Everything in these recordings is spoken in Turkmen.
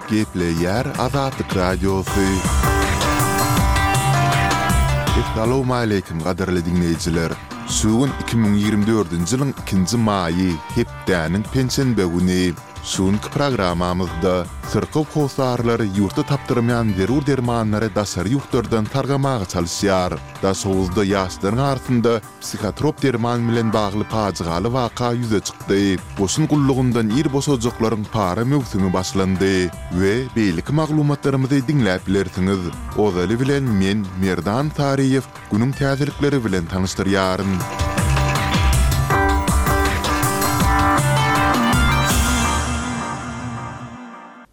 Gepleýär Azatlyk Radiosy. Essalawmaleýkim gadyrly diňleýjiler! Şu gün 2024-nji ýylyň ikinji maýy, hepdäniň penşenbe güni. Şu günki programmamyzda syrkaw hossarlary ýurtda tapdyrmaýan zerur dermanlary daşary ýurtlardan sargamaga çalyşýar. Daşoguzda ýaşlaryň arasynda psihotrop derman bilen bagly pajygaly waka ýüze çykdy. Goşun gullugyndan ir boşajaklaryň para möwsümi başlandy we beýleki maglumatlarymyzy diňläp bilersiňiz. Ozaly bilen men, Merdan Saryýew, günüň täzelikleri bilen tanyşdyrýaryn.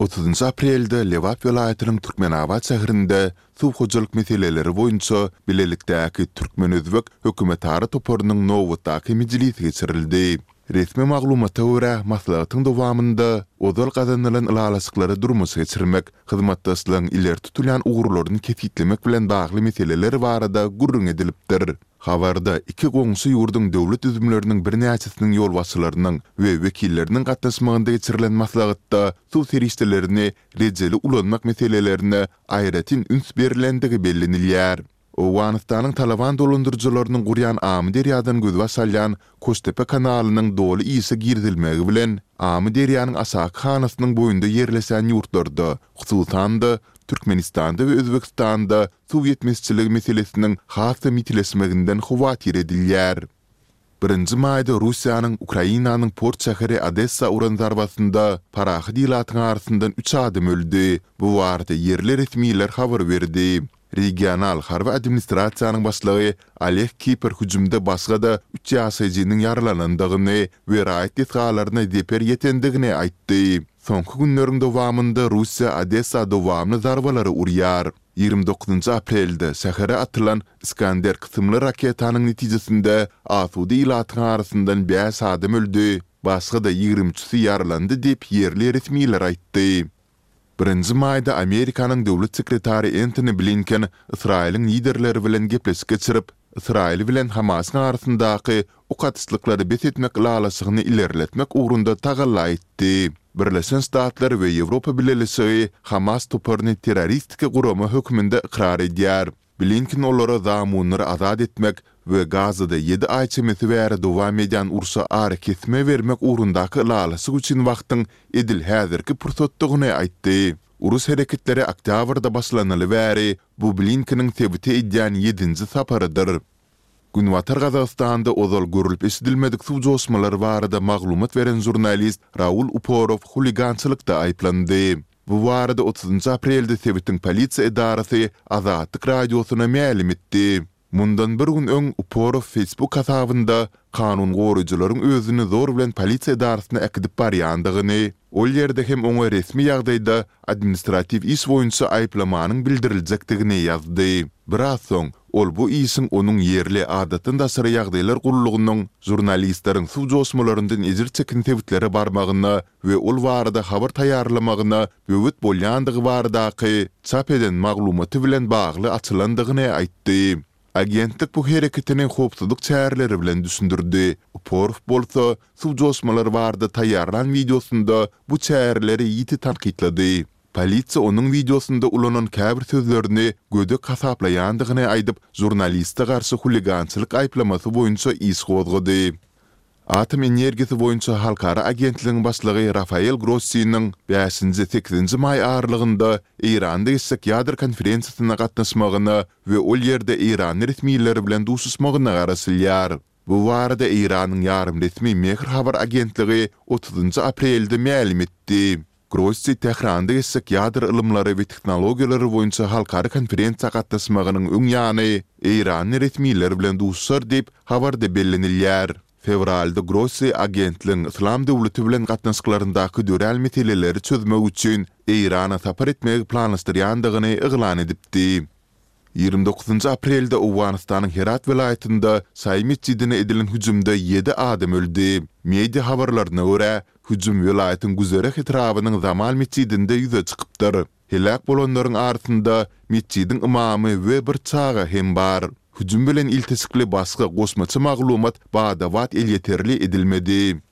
Otuzynjy aprelde Lebap welaýatynyň Türkmenabat şäherinde suw hojalyk meseleleri boýunça bilelikdäki türkmen-özbek hökümetara toparynyň nobatdaky mejlisi geçirildi. Resmi maglumata görä, maslahatyň dowamynda ozal gazanylan ylalaşyklary durmuşa geçirmek, hyzmatdaşlygyň ileri tutulýan ugurlaryny kesgitlemek bilen bagly meseleler barada gürrüň edilipdir. Habarda iki goňşy ýurduň döwlet düzümleriniň birnäçesiniň ýolbaşçylarynyň we wekilleriniň gatnaşmagynda geçirilen maslahatda suw serişdelerini rejeli ulanmak meselelerine aýratyn üns berlendigi bellenilýär. Owganystanyň Talaban dolandyryjylarynyň gurýan Amyderýadan gözbaş alýan Koştepe kanalynyň doly işe girizilmegi bilen, Amyderýanyň aşaky hanasynyň boýunda ýerleşen ýurtlarda, hususan-da, Türkmenistanda we Özbegistanda suw ýetmezçiligi meselesiniň has-da ýitileşmeginden howatyr edilýär. Birinji maýda Russiýanyň Ukrainanyň port şäheri Odessa uran zarbasynda parahat ilatyň arasyndan üç adam öldi. Bu barada ýerli resmiler habar berdi. Regional harby administrasiýanyň başlygy Oleg Kiper hüjümde başga-da üç ýaşaýjynyň ýaralanandygyny we raýat desgalaryna zeper ýetendigini aýtdy. Soňky günleriň dowamynda Russiýa Odessa dowamly zarbalary urýar. 29 aprelde şähere atylan Iskander kysymly raketanyň netijesinde asuda ilatyň arasyndan bäş adam öldi, başga-da ýigrimi üçüsi ýaralandy diýip, ýerli resmiler aýtdy. Birinji maýda Amerikanyň döwlet sekretary Entoni Blinken Ysraýylyň liderleri bilen gepleşik geçirip, Ysraýyl bilen Hamasyň arasyndaky ok atyşlyklary bes etmek ylalaşygyny ilerletmek ugrunda tagalla etdi. Birleşen Ştatlar we Ýewropa Bileleşigi Hamas toparyny terroristiki gurama hökmünde ykrar edýär. Blinken olara zamunlary azat etmek we Gazada ýedi aý çemesi bäri dowam edýän urşa arakesme bermek ugrundaky ylalaşyk üçin wagtyň edil häzirki pursatdygyny aýtdy. Uruş hereketleri oktýabrda başlanaly bäri bu Blinkeniň sebite edýän ýedinji saparydyr. Günbatar Gazagystanda ozal görlüp-eşidilmedik suw joşmalary barada maglumat beren žurnalist Raul Uporow huligançylykda aýyplandy. Bu barada otuzynjy aprelde sebitiň polisiýa edarasy Azatlyk Radiosyna mälim etdi. Mundan bir gün öň Uporow Facebook hasabynda kanun goraýjylaryň özüni zor bilen polisiýa edarasyna äkidip barýandygyny, ol ýerde hem oňa resmi ýagdaýda administratiw iş boýunça aýyplamanyň bildiriljekdigini ýazdy. Biraz soň, ol bu işiň onuň ýerli adatdan daşary ýagdaýlar gullugynyň žurnalistleriň suw joşmalaryndan ejir çeken sebitlere barmagyna we ol barada habar taýýarlamagyna böwet bolýandygy baradaky çap eden maglumaty bilen bagly açylandygyny aýtdy. Agentlik bu hereketini howpsuzlyk çäreleri bilen düşündirdi. Uporow bolsa, suw joşmalary barada taýýarlan wideosynda bu çäreleri ýiti tankytlady. Polisiýa onuň wideosynda ulanan käbir sözlerini gödek hasaplaýandygyny aýdyp, žurnaliste garşy huligançylyk aýyplamasy boýunça iş gozgady. Atom energiýasy boýunça halkara agentligiň başlygy Rafael Grossiniň bäşinji, sekizinji maý aralygynda Eýranda geçjek ýadro konferensiýasyna gatnaşmagyna we ol ýerde eýranly resmiler bilen duşuşmagyna garaşylýar. Bu barada Eýranyň ýarym resmi Mehr habar agentligi otuzynjy aprelde mälim etdi. Grossi Tähranda geçjek ýadro ylymlary we tehnologiýalary boýunça halkara konferensiýa gatnaşmagynyň öň ýany eýranly resmiler bilen duşuşar diýip, habarda bellenilýär. Fewralda Grossi agentligiň Yslam döwleti bilen gatnaşyklaryndaky dörän meseleleri çözmek üçin Eýrana sapar etmegi planlaşdyrýandygyny yglan edipdi. 29 aprelde Owganystanyň Herat welaýatynda şaýy metjidine edilen hüjümde ýedi adam öldi. Media habarlaryna görä, hüjüm welaýatyň Güzereh etrabynyň Zamal metjidinde ýüze çykypdyr. Heläk bolanlaryň arasynda metjidiň ymamy we bir çaga hem bar. Hüjüm bilen ilteşikli başga goşmaça maglumat bada-bat elýeterli edilmedi.